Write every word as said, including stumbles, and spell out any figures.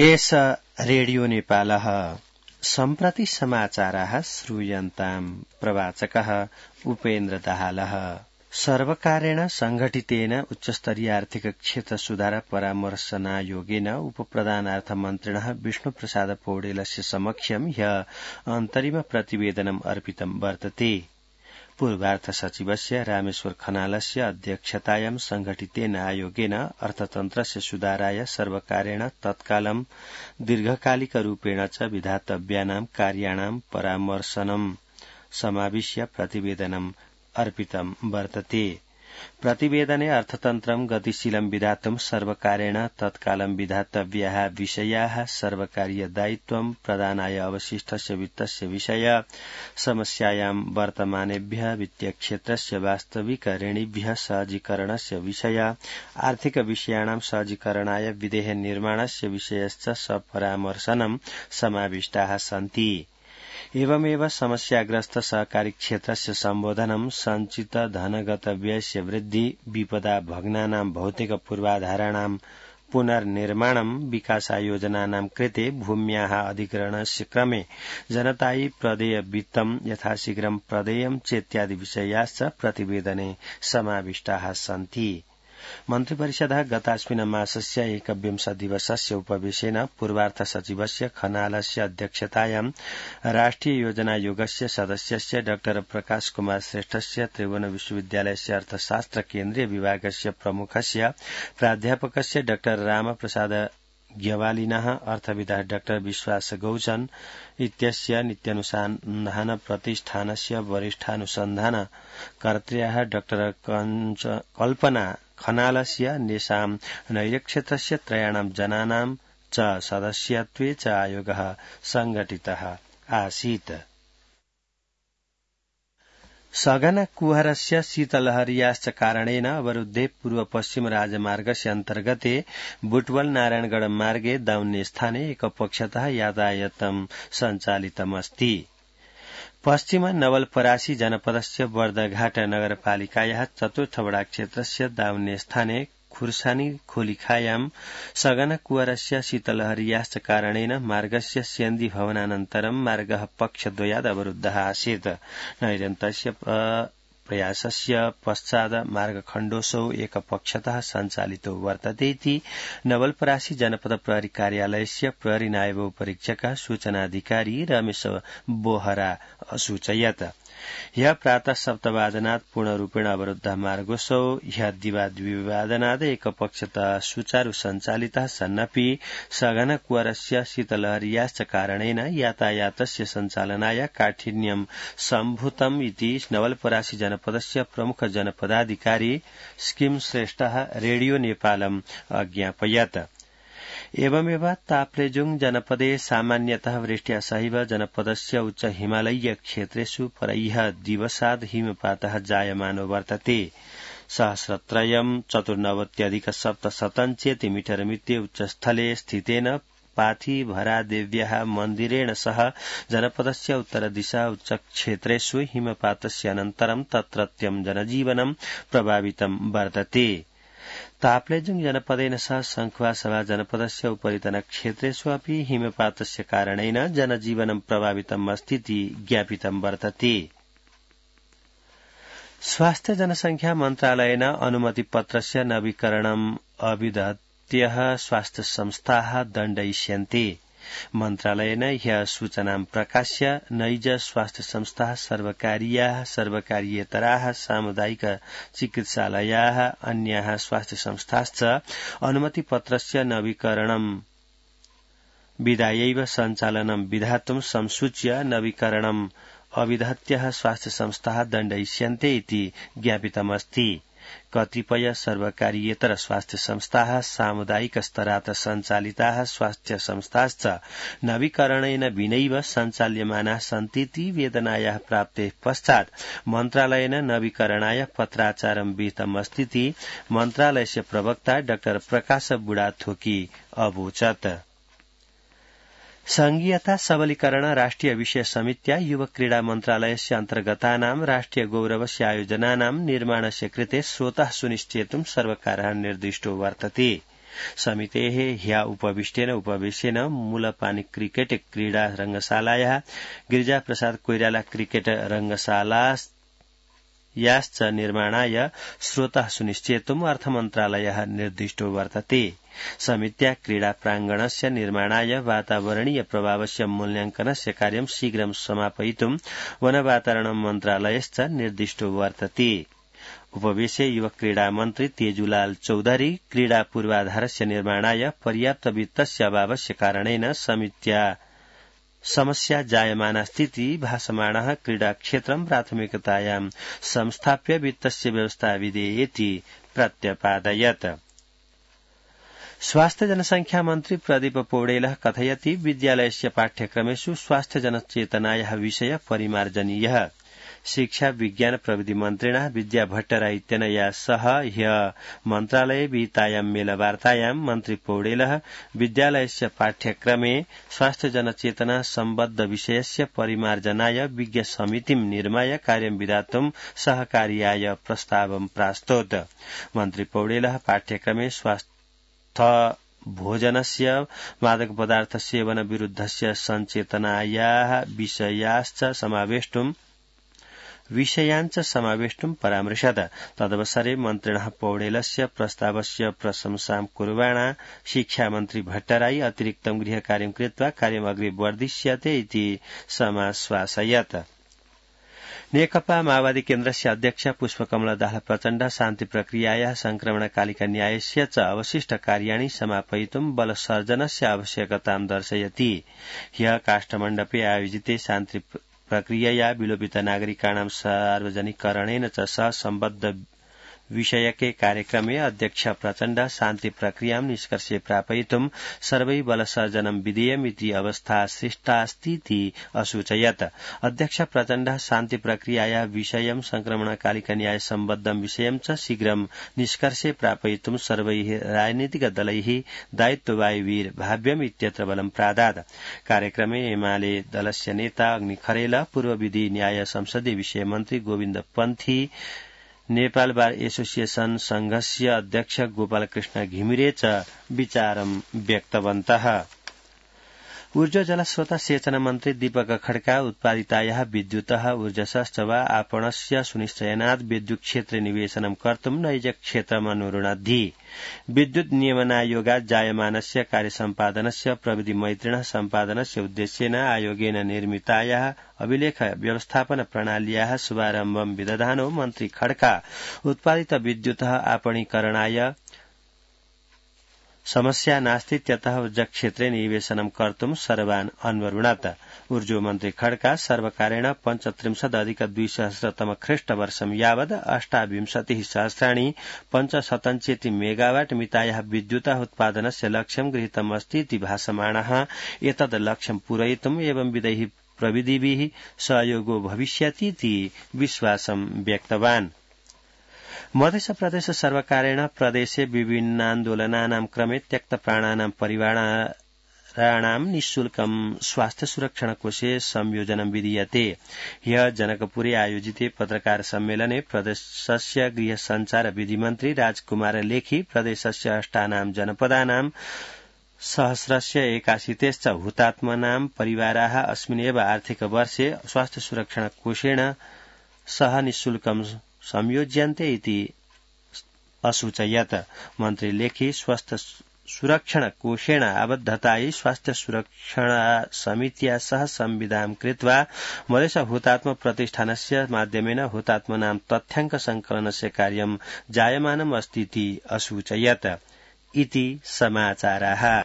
एष रेडियो नेपालः सम्प्रति समाचाराः श्रूयन्ताम् प्रवाचकः उपेन्द्र दाहालः। सर्वकारेण संघटितेन उच्चस्तरीय आर्थिक क्षेत्र सुधार परामर्शनायोगेन उपप्रधानार्थमन्त्रिणः विष्णुप्रसाद पौडेलस्य समक्षं ह्यः अन्तरिम प्रतिवेदनम् अर्पितं वर्तते। पूर्वार्थ सचिवस्य रामेश्वर खनालस्य अध्यक्षतायां संघटितेन आयोगेन अर्थतन्त्रस्य सुधाराय सर्वकारेण तत्कालं दीर्घकालिकरूपेण च विधातव्यानां कार्याणां परामर्शनं समाविश्य प्रतिवेदनम् अर्पितं वर्तते। प्रतिवेदने अर्थतन्त्रं गतिशीलं विधातुं सर्वकारेण तत्कालं विधातव्याः विषयाः, सर्वकारीय दायित्वं, प्रदानाय अवशिष्टस्य वित्तस्य विषय, समस्यायां वर्तमानेभ्यः वित्तीयक्षेत्रस्य वास्तविक ऋणिभ्यः सहजीकरणस्य विषय, आर्थिक विषयाणां सहजीकरणाय विधेय निर्माणस्य विषयश्च सपरामर्शनं समाविष्टाः सन्ति। एवमेव समस्याग्रस्त सहकारी क्षेत्रस्य सम्बोधनं, संचित धनगत व्ययस्य वृद्धि, विपदा भग्नानां भौतिक पूर्वाधाराणां पुनर्निर्माणं, विकासायोजनानां कृते भूम्याः अधिग्रहणस्य क्रमे जनतायै प्रदेय वित्तं यथाशीघ्रं प्रदेयं चेत्यादि विषयाश्च प्रतिवेदने समाविष्टाः सन्ति। मन्त्रिपरिषदः गतास्मिन् मासस्य एकविंश दिवसस्य उपवेशेन पूर्वार्थ सचिवस्य खनालस्य अध्यक्षतायां राष्ट्रिय योजनायोगस्य सदस्यस्य डॉक्टर प्रकाश कुमार श्रेष्ठस्य, त्रिभुवन विश्वविद्यालयस्य अर्थशास्त्र केन्द्रीय विभागस्य प्रमुखस्य प्राध्यापकस्य डॉक्टर रामप्रसाद ग्यवालिनः, अर्थविदः डॉक्टर विश्वास गौचन इत्यस्य, नित्यानुसन्धान प्रतिष्ठानस्य वरिष्ठानुसन्धान कर्त्र्याः डॉक्टर कल्पना खनालस्य, नेषां नैर्क्षेत्रस्य त्रयाणां जनानां च सदस्यत्वे च आयोगः संघटितः आसीत्। सघन कुहरस्य शीतलहर्याश्च कारणेन अवरुद्धे पूर्व पश्चिम राजमार्गस्य अन्तर्गते बुटवल नारायणगढ़ मार्गे दाउन्ने स्थाने एकपक्षतः यातायातं सञ्चालितमस्ति। पश्चिम नवलपरासी जनपदस्य बर्दघाट नगरपालिकायाः चतुर्थ वडा क्षेत्रस्य दाउन्ने स्थाने खुर्सानी खोलिखायां सघन कुवरस्य शीतलहर्याश्च कारणेन मार्गस्य सेन्दी भवनानन्तरं मार्गः पक्षद्वयाद् अवरुद्धः आसीत्। नैरन्तस्य प्रयासस्य पश्चात् मार्गखण्डोऽसौ एकपक्षतः सञ्चालितो वर्तते इति नवलपरासी जनपद प्रहरी कार्यालयस्य प्रहरी नायब उपरीक्षकः सूचनाधिकारी रमेश बोहरा असूचयत्। ह्यः प्रातः सप्तवादनात् पूर्णरूपेण अवरुद्धः मार्गोऽसौ ह्यः द्विवादनाद् एकपक्षतः सुचारु सञ्चालितः सन्नपि सघन कुवरस्य शीतलहर्याश्च कारणेन यातायातस्य सञ्चालनाय काठिन्यं सम्भूतम् इति नवलपरासी जनपदस्य प्रमुख जनपदाधिकारी स्किम श्रेष्ठः रेडियो नेपालम् अज्ञापयत्। एवमेव ताप्लेजुङ जनपदे सामान्यतः वृष्ट्या सहैव जनपदस्य उच्च हिमालयीय क्षेत्रेषु परह्यः दिवसाद् हिमपातः जायमानो वर्तते। सहस्रत्रयम् चतुर्नवत्यधिक सप्तशतं चेतिमीटर मित्रे उच्चस्थले स्थितेन पाथिभरादेव्याः मन्दिरेण सह जनपदस्य उत्तरदिशा उच्चक्षेत्रेषु हिमपातस्य अनन्तरं तत्रत्यं जनजीवनं प्रभावितं वर्तते। ताप्लेजुङ जनपदेन सह संखुवासभा जनपदस्य उपरितन क्षेत्रेषु अपि हिमपातस्य कारणेन जनजीवनं प्रभावितम् अस्तीति ज्ञापितं वर्तते। स्वास्थ्य जनसंख्या मन्त्रालयेन अनुमतिपत्रस्य नवीकरणम् अविदत्यः स्वास्थ्य संस्थाः दण्डयिष्यन्ते। मन्त्रालयेन ह्यः सूचनां प्रकाश्य नैज स्वास्थ्य संस्थाः, सर्वकारीयाः, सर्वकारीयेतराः, सामुदायिक चिकित्सालयाः, अन्याः स्वास्थ्य संस्थाश्च अनुमतिपत्रस्य नवीकरणं विधायैव सञ्चालनं विधातुं संसूच्य नवीकरणम् अविधत्यः स्वास्थ्य संस्थाः दण्डयिष्यन्ते इति ज्ञापितमस्ति। कतिपय सर्वकारीयेतर स्वास्थ्य संस्थाः, सामुदायिक स्तरात् सञ्चालिताः स्वास्थ्य संस्थाश्च नवीकरणेन विनैव सञ्चाल्यमानाः सन्तीति वेदनायाः प्राप्तेः पश्चात् मन्त्रालयेन नवीकरणाय पत्राचारं विहितमस्तीति मन्त्रालयस्य प्रवक्ता डाक्टर प्रकाश बुढाथोकी अवोचत्। संघीयता सबलीकरण राष्ट्रिय विषय समित्या युवक क्रीडा मन्त्रालयस्य अन्तर्गतानां राष्ट्रिय गौरवस्य आयोजनानां निर्माणस्य कृते स्रोतः सुनिश्चेतुं सर्वकारः निर्दिष्टो वर्तते। समितेः ह्य उपविष्टेन उपवेशेन मूलपानी क्रिकेट क्रीडा रंगशालायाः गिरिजाप्रसाद कोइराला क्रिकेट रंगशालायाश्च निर्माणाय स्रोतः सुनिश्चेतुम् अर्थमन्त्रालयः निर्दिष्टो वर्तते। समित्या क्रीडा प्रांगणस्य निर्माणाय वातावरणीय प्रभावस्य मूल्यांकनस्य कार्यं शीघ्रं समापयितुं वनवातावरण मन्त्रालयश्च निर्दिष्टो वर्तते। उपवेशे युवक क्रीडा मन्त्री तेजुलाल चौधरी क्रीडा पूर्वाधारस्य निर्माणाय पर्याप्त वित्तस्य अभावस्य कारणेन समित्या समस्या जायमाना स्थिति भासमाणः क्रीडा क्षेत्रं प्राथमिकतायां संस्थाप्य वित्तस्य व्यवस्था विधेयेति प्रत्यपादयत्। स्वास्थ्य जनसंख्या मन्त्री प्रदीप पौडेलः कथयति विद्यालयस्य पाठ्यक्रमेषु स्वास्थ्य जनचेतनायाः विषय परिमार्जनीयः। शिक्षा विज्ञान प्रविधि मन्त्रिणा विद्या भट्टराई इत्यनया सह ह्य मन्त्रालये विहितायां मेलवार्तायां मन्त्री पौडेलः विद्यालयस्य पाठ्यक्रमे स्वास्थ्य जनचेतना सम्बद्ध विषयस्य परिमार्जनाय विज्ञ समितिं निर्माय कार्यं विधातुं सहकार्याय प्रस्तावं प्रास्तोत्। मन्त्री पौडेलः पाठ्यक्रमे स्वास्थ्य भोजनस्य मादक पदार्थ सेवन विरुद्धस्य सञ्चेतनायाः विषयाश्च समावेष्टुं विषयाञ्च समावेष्टुं परामृशत्। तदवसरे मन्त्रिणः पौडेलस्य प्रस्तावस्य प्रशंसां कुर्वाणा शिक्षामन्त्री भट्टराई अतिरिक्तं गृहकार्यं कृत्वा कार्यम् अग्रे वर्धिष्यते इति समाश्वासयत्। नेकपा माओवादी केन्द्रस्य अध्यक्ष पुष्पकमल दाहाल प्रचण्ड शान्ति प्रक्रियायाः संक्रमणकालिका न्यायस्य च अवशिष्ट कार्याणि समापयितुं बलसर्जनस्य आवश्यकतां दर्शयति। ह्यः काष्ठमण्डपे आयोजिते शान्ति प्रक्रियया विलोपित नागरिकाणां सार्वजनिकरणेन च सह सम्बद्ध विषयके कार्यक्रमे अध्यक्ष प्रचण्ड शान्ति प्रक्रियां निष्कर्षे प्रापयितुं सर्वै बलसर्जनं विधेयमिति अवस्था सृष्टास्तीति असूचयत्। अध्यक्ष प्रचण्ड शान्ति प्रक्रियाया विषयं संक्रमणकालिक न्याय सम्बद्धं विषयं च शीघ्रं निष्कर्षे प्रापयितुं सर्वैः राजनीतिकदलैः दायित्ववायुवीर भाव्यम् इत्यत्र बलं प्रादात्। कार्यक्रमे एमाले दलस्य नेता अग्नि खरेल, पूर्व विधि न्याय संसदीय विषय मन्त्री गोविन्द पन्थी, नेपाल बार एसोसिएशन संघस्य अध्यक्ष गोपालकृष्ण घिमिरे च विचारं व्यक्तवन्तः। ऊर्जा जलस्रोत सेचन मन्त्री दीपक खड्का उत्पादितायाः विद्युतः ऊर्जसश्च वा आपणस्य सुनिश्चयनात् विद्युत् क्षेत्रे निवेशनं कर्तुं नैज क्षेत्रमनुरुणद्धि। विद्युत् नियमनायोगात् जायमानस्य कार्यसम्पादनस्य प्रविधि मैत्रिणः सम्पादनस्य उद्देश्येन आयोगेन निर्मितायाः अभिलेख व्यवस्थापन प्रणाल्याः शुभारम्भं विदधानो मन्त्री खड्का उत्पादित विद्युतः आपणीकरणाय समस्या नास्तीत्यतः ऊर्जाक्षेत्रे निवेशनं कर्तुं सर्वान् अन्वरुणत्। ऊर्जो मन्त्री खड्का सर्वकारेण पञ्चत्रिंशदधिक द्विसहस्रतम ख्रीष्टवर्षं यावत् अष्टाविंशतिः सहस्राणि पञ्चशतञ्चेति मेगावाट् मितायाः विद्युतः उत्पादनस्य लक्ष्यं गृहीतम् अस्तीति भासमाणः। एतद् लक्ष्यं पूरयितुम् एवंविधैः प्रविधिभिः सहयोगो भविष्यतीति विश्वासं व्यक्तवान्। मध्य प्रदेश सर्वकारेण प्रदेशे विभिन्नान्दोलनानां क्रमे त्यक्तप्राणानां परिवाराणां निःशुल्कं स्वास्थ्य सुरक्षण कोषे संयोजनं विधीयते। ह्यः जनकपुरे आयोजिते पत्रकार सम्मेलने प्रदेशस्य गृह संचार विधिमन्त्री राजकुमार लेखी प्रदेशस्य अष्टानां जनपदानां सहस्रस्य एकाशीतेश्च हुतात्मनां परिवाराः अस्मिन्नेव आर्थिक वर्षे स्वास्थ्य सुरक्षण कोषेण सह निःशुल्कं संयोज्यन्ते इति असूचयत्। मन्त्री लेखी स्वस्थ सुरक्षण कोषेण आबद्धतायै स्वास्थ्य सुरक्षण समित्या सह संविदां कृत्वा मधेश हुतात्म प्रतिष्ठानस्य माध्यमेन हुतात्मनां तथ्याङ्क संकलनस्य कार्यं जायमानम् अस्तीति असूचयत्। इति समाचाराः।